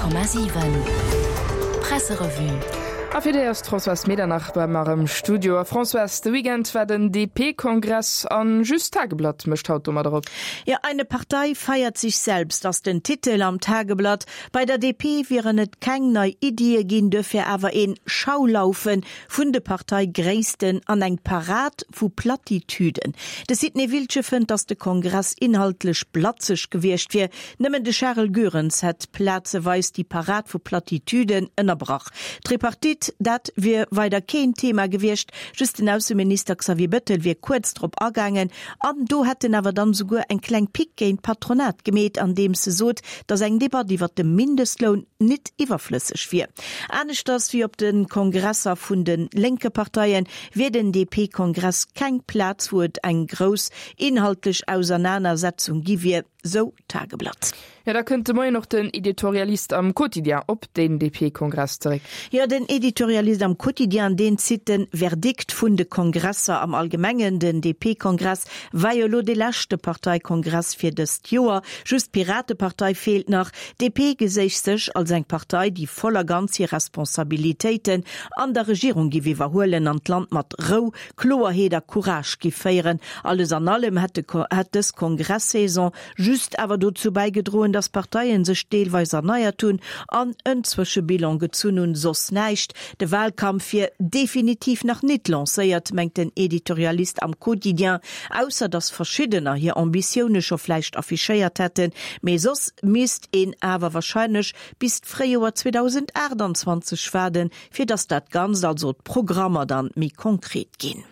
100,7 Presserevue. A fir déi ass d'Françoise Medernach bei mer am Studio. A Françoise, de Weekend war den DP-Kongress an just d'Tageblatt mécht haut domadder op. Jo, Eine Partei feiert sich selbst ass den Titel am Tageblatt. Bei der DP wieren et keng nei Iddie ginn, duerfir awer een Schaulaufe vun de Parteigréissten an eng Parad vu Plattitüden. De Sidney Wiltgen fënnt, datt de Kongress inhaltlech blatzeg gewiescht wier. Nëmmen de Charel Goerens hätt plazeweis déi Parad vu Plattitüden ënnerbrach. D'Tripartite, dat wier weider keen Thema gewiescht, just den Ausseminister Xavier Bettel wier kuerz drop agaangen. An do hätt en awer dann esouguer eng kleng Pick géint d'Patronat gemeet, andeems e sot, datt eng Debatt iwwert de Mindestloun nit iwwerflësseg wier. Aneschters wéi op de Kongresser vun de lénke Parteien, wier den DP-Kongress keng Plaz, wou et eng grouss inhaltlech Ausernanersetzung gi wier, sou d'Tageblatt. Jo, da kënnt de Moien och den Editorialist am Quotidien op den DP-Kongress zeréck. Jo, den Editorialist am Quotidien, deen zitt de Verdikt vun de Kongresser am Allgemengen. Den DP-Kongress war jo elo dee leschte Parteikongress fir dëst Joer. Just d'Piratepartei feelt nach. D'DP geséich sech als eng Partei, déi voll a ganz hir Responsabilitéiten an der Regierung giff iwwerhuelen an d'Land mat Rou, Kloerheet a Courage giff féieren. Alles an allem hätt dës Kongress-Saison just awer dozou bäigedroen, datt d'Parteien sech deelweis erneiert hunn an en Zwëschebilan gezunn hunn, soss näischt. De Wahlkampf wier definitiv nach nit lancéiert, mengt den Editorialist am Quotidien, ausser datt verschiddener hir Ambitioune scho vläicht affichéiert hätten, mee soss misst een awer wahrscheinlech bis d'Fréijoer 2028 waarden, fir datt dat Ganzt, also d'Programmer dann méi konkret ginn.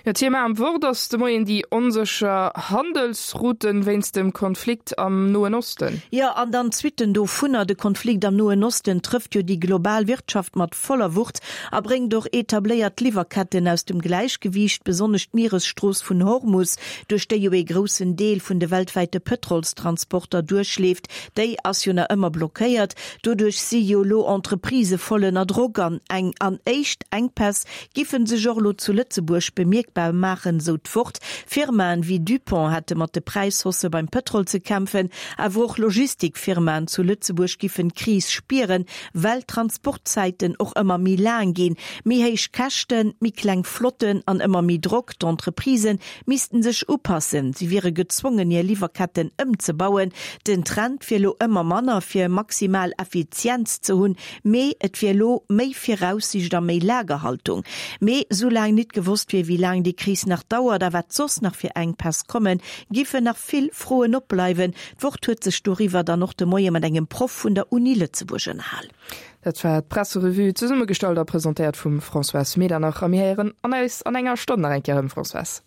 Jo, Thema am Wort ass de Moien déi onsécher Handelsrouten wéinst dem Konflikt am Noen Osten. Jo, an dann d'Suitten dovunner. De Konflikt am Noen Osten trëfft jo déi global Wirtschaft mat voller Wucht a bréngt och etabléiert Liwwerketten aus dem Gläichgewiicht, besonnesch d'Mieresstrooss vun Hormus, duerch déi jo ee groussen Deel vun de weltwäite Pëtrolstransporter duerchleeft, déi ass jo nach ëmmer blockéiert. Doduerch si jo elo Entreprisë voll ënner Drock an eng an éischt Enkpäss giffen sech och elo zu Lëtzebuerg bemierkbar maachen, sou d'Wort. Firmaen wéi Dupont hätte mat de Präishaussë beim Pëtrol ze kämpfen, awer och Logistikfirmaen zu Lëtzebuerg giffen d'Kris spieren, well d'Transportzäiten och ëmmer méi laang ginn. Méi héich Käschten, méi kleng Flotten an ëmmer méi Drock. D'Entreprisen missten sech upassen, si wiere gezwongen hir Liwwerketten ëmzebauen. Den Trend wier elo ëmmer manner fir maximal Effizienz ze hunn, mee et wier elo méi Viraussiicht a méi Lagerhaltung. Mee soulaang nit gewosst wier, wéi laang déi Kris nach dauert a wat soss nach fir Enkpäss kommen, giffen nach vill Froen opbleiwen. D'Wort huet sech doriwwer dann och de Moie mat engem Proff vun der Uni Lëtzebuerg ënnerhal. Dat war d'Presserevue, zesummegestallt a presentéiert vum Françoise Medernach. A mir héieren an eis an enger Stonn nach eng Kéier erëm, Françoise.